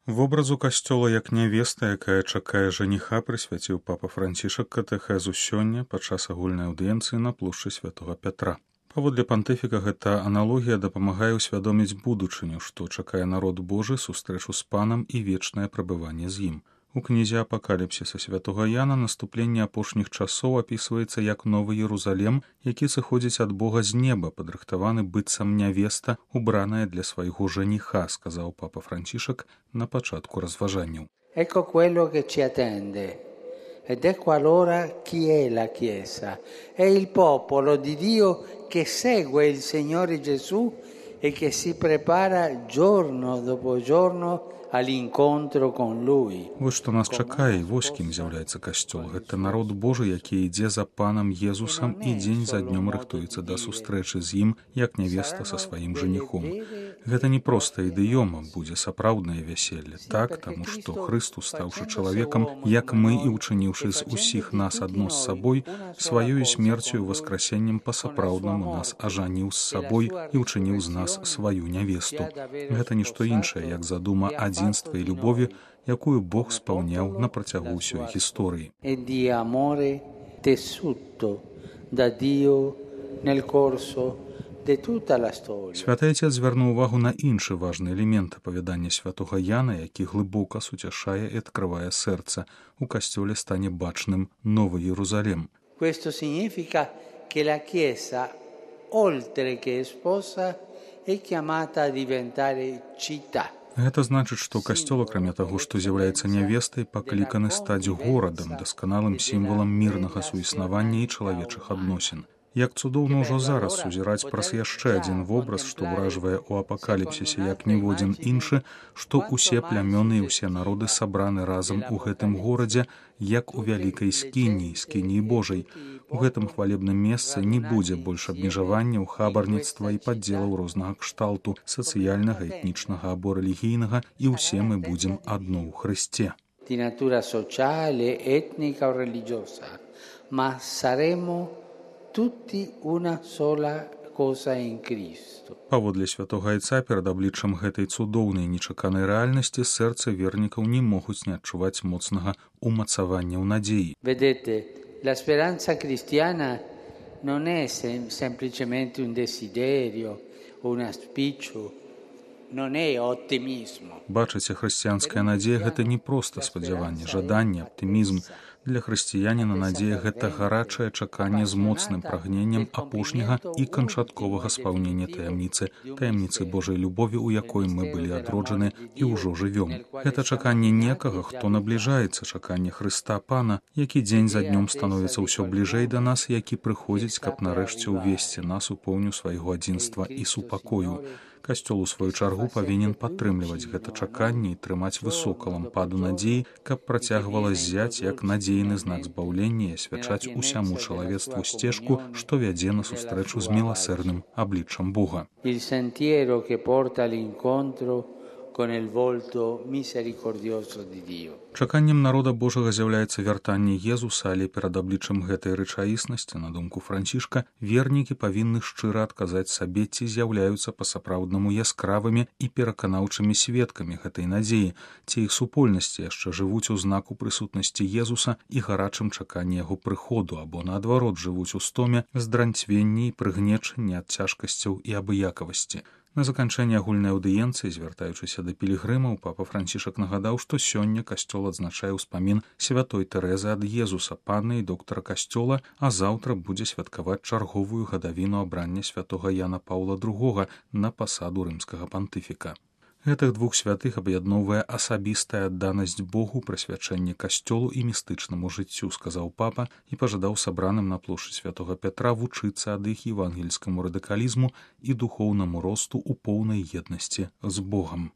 Вобразу касцёла як нявеста, якая чакае жаніха, прысвяціў папа Францішак катэхезу сёння падчас агульнай аўдыенцыі на плошчы святога Пятра. Паводле пантыфіка гэта аналогія дапамагае ўсвядоміць будучыню, што чакае народ Божы, сустрэчу з панам і вечнае прабыванне з ім. У кнізе апакаліпсіса святога Яна наступленне апошніх часоў апісваецца як новы Єрузалем, які сыходзіць ад Бога з неба, падрыхтаваны быццам нявеста, убраная для свайго жаніха, сказаў папа Францішак на пачатку разважанняў. Ecco quello che ci attende. Ed ecco allora chi è la Chiesa. È il popolo di Dio che segue il Signore Gesù e che si prepara giorno dopo giorno all'incontro con Lui. Вось што нас чакае, і вось кім з'яўляецца касцёл. Гэта народ Божы, які ідзе за панам Езусам і дзень за днём рыхтуецца да сустрэчы з ім, як нявеста са сваім жаніхом. Гэта не проста ідыёма, будзе сапраўднае вяселле. Так, таму што Хрыстус, стаўшы чалавекам, як мы і ўчыніўшы з усіх нас адно з сабой, сваёю смерцю і васкрасеннем па-сапраўднаму нас ажаніў з сабой і ўчыніў з нас сваю нявесту. Гэта нішто іншае, як задума адзінства і любові, якую Бог спаўняў на працягу ўсёй гісторыі. Святы Отец звярнуў увагу на іншы важны элемент апавядання святога Яна, які глыбока суцяшае і адкрывае сэрца. У касцёле стане бачным новы Єрузалем. Questo significa che la Chiesa, oltre che sposa, è chiamata a diventare città. Гэта значыць, што касцёл, акрамя таго, што з'яўляецца нявестай, пакліканы стаць горадам, дасканалым сімвалам мірнага суіснавання і чалавечых адносін. Як цудоўна ўжо зараз сузіраць праз яшчэ адзін вобраз, што ўражвае ў апакаліпсісе як ніводзін іншы, што ўсе плямёны і ўсе народы сабраны разам у гэтым горадзе, як у вялікай скініі, скініі Божай. У гэтым хвалебным месцы не будзе больш абмежаванняў, хабарніцтва і падзелаў рознага кшталту, сацыяльнага, этнічнага або рэлігійнага, і ўсе мы будзем адно ў Хрысце. Di natura sociale, etnica o religiosa, ma saremo tutti una sola cosa in Cristo. Паводле святога Айца перад абліччам гэтай цудоўнай нечаканай рэальнасці сэрцы вернікаў не могуць не адчуваць моцнага умацавання ў надзеі. Vedete, la speranza cristiana non è semplicemente un desiderio o un auspicio, non è ottimismo. Бачыце, хрысціянская надзея гэта не проста спадзяванне, жаданне, аптымізм. Для хрысціяніна надзея гэта гарачае чаканне з моцным прагненнем апошняга і канчатковага спаўнення таямніцы Божай любові, у якой мы былі адроджаны і ўжо жывём. Гэта чаканне некага, хто набліжаецца, чаканне Хрыста Пана, які дзень за днём становіцца ўсё бліжэй да нас, які прыходзіць, каб нарэшце ўвесці нас у поўню свайго адзінства і супакою. Касцёл у сваю чаргу павінен падтрымліваць гэта чаканне і трымаць высока лампаду надзеі, каб працягвала ззяць як надзейны знак збаўлення і асвячаць усяму чалавецтву сцежку, што вядзе на сустрэчу з міласэрным абліччам Бога. Il sentiero che porta all'incontro con il volto misericordioso di Dio. Чаканнем народа Божага з'яўляецца вяртанне Езуса, але перад абліччам гэтай рэчаіснасці, на думку Францішка, вернікі павінны шчыра адказаць сабе, ці з'яўляюцца па-сапраўднаму яскравымі і пераканаўчымі сведкамі гэтай надзеі, ці іх супольнасці яшчэ жывуць у знаку прысутнасці Езуса і гарачым чаканні яго прыходу, або наадварот жывуць у стоме, здранцвенні і прыгнечанні ад цяжкасцяў і абыякавасці. На заканчэнне агульнай аўдыенцыі, звяртаючыся да пілігрымаў, папа Францішак нагадаў, што сёння касцёл адзначае ўспамін святой Тэрэзы ад Езуса, панны і доктара касцёла, а заўтра будзе святкаваць чарговую гадавіну абрання святога Яна Паўла II на пасаду рымскага пантыфіка. Гэтых двух святых аб'ядноўвае асабістая адданасць Богу, прысвячэнне касцёлу і містычнаму жыццю, сказаў папа і пажадаў сабраным на плошчы святога Пятра вучыцца ад іх евангельскаму радыкалізму і духоўнаму росту ў поўнай еднасці з Богам.